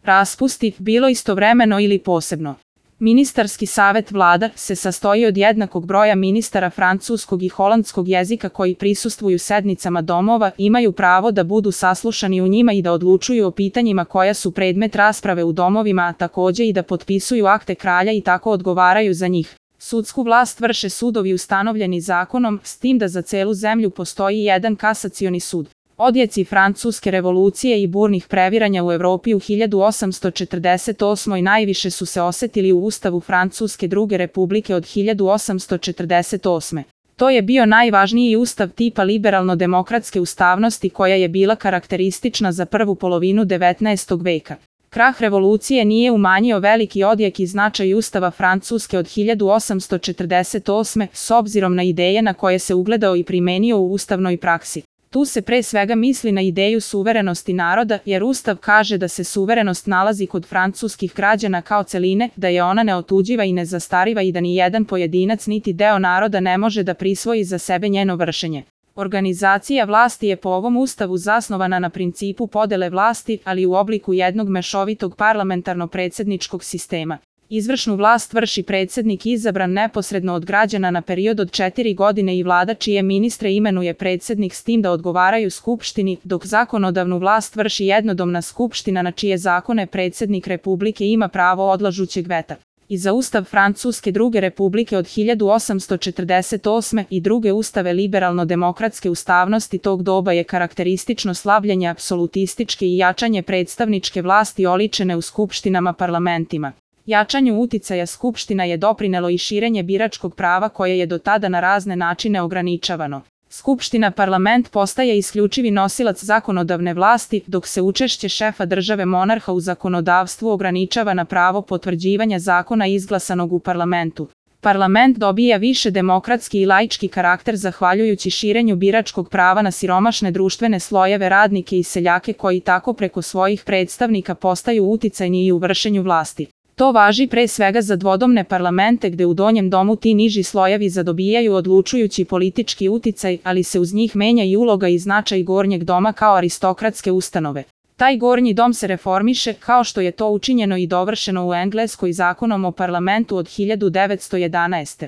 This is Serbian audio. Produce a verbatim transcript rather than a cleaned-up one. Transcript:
raspusti, bilo istovremeno ili posebno. Ministarski savet vlada se sastoji od jednakog broja ministara francuskog i holandskog jezika koji prisustvuju sednicama domova, imaju pravo da budu saslušani u njima i da odlučuju o pitanjima koja su predmet rasprave u domovima, a takođe i da potpisuju akte kralja i tako odgovaraju za njih. Sudsku vlast vrše sudovi ustanovljeni zakonom, s tim da za celu zemlju postoji jedan kasacioni sud. Odjeci Francuske revolucije i burnih previranja u Evropi u hiljadu osamsto četrdeset osmoj najviše su se osetili u Ustavu Francuske druge republike od hiljadu osamsto četrdeset osme. To je bio najvažniji ustav tipa liberalno-demokratske ustavnosti koja je bila karakteristična za prvu polovinu devetnaestog veka. Krah revolucije nije umanjio veliki odjek i značaj Ustava Francuske od hiljadu osamsto četrdeset osme s obzirom na ideje na koje se ugledao i primenio u ustavnoj praksi. Tu se pre svega misli na ideju suverenosti naroda, jer Ustav kaže da se suverenost nalazi kod francuskih građana kao celine, da je ona neotuđiva i nezastariva i da ni jedan pojedinac niti deo naroda ne može da prisvoji za sebe njeno vršenje. Organizacija vlasti je po ovom ustavu zasnovana na principu podele vlasti, ali u obliku jednog mešovitog parlamentarno-predsedničkog sistema. Izvršnu vlast vrši predsednik izabran neposredno od građana na period od četiri godine i vlada čije ministre imenuje predsednik s tim da odgovaraju skupštini, dok zakonodavnu vlast vrši jednodomna skupština na čije zakone predsednik republike ima pravo odlažućeg veta. I za ustav Francuske druge republike od hiljadu osamsto četrdeset osme i druge ustave liberalno-demokratske ustavnosti tog doba je karakteristično slavljenje apsolutističke i jačanje predstavničke vlasti oličene u skupštinama parlamentima. Jačanju uticaja skupština je doprinelo i širenje biračkog prava koje je do tada na razne načine ograničavano. Skupština parlament postaje isključivi nosilac zakonodavne vlasti, dok se učešće šefa države monarha u zakonodavstvu ograničava na pravo potvrđivanja zakona izglasanog u parlamentu. Parlament dobija više demokratski i laički karakter zahvaljujući širenju biračkog prava na siromašne društvene slojeve, radnike i seljake koji tako preko svojih predstavnika postaju uticajni i u vršenju vlasti. To važi pre svega za dvodomne parlamente gde u donjem domu ti niži slojevi zadobijaju odlučujući politički uticaj, ali se uz njih menja i uloga i značaj gornjeg doma kao aristokratske ustanove. Taj gornji dom se reformiše, kao što je to učinjeno i dovršeno u Engleskoj zakonom o parlamentu od hiljadu devetsto jedanaeste.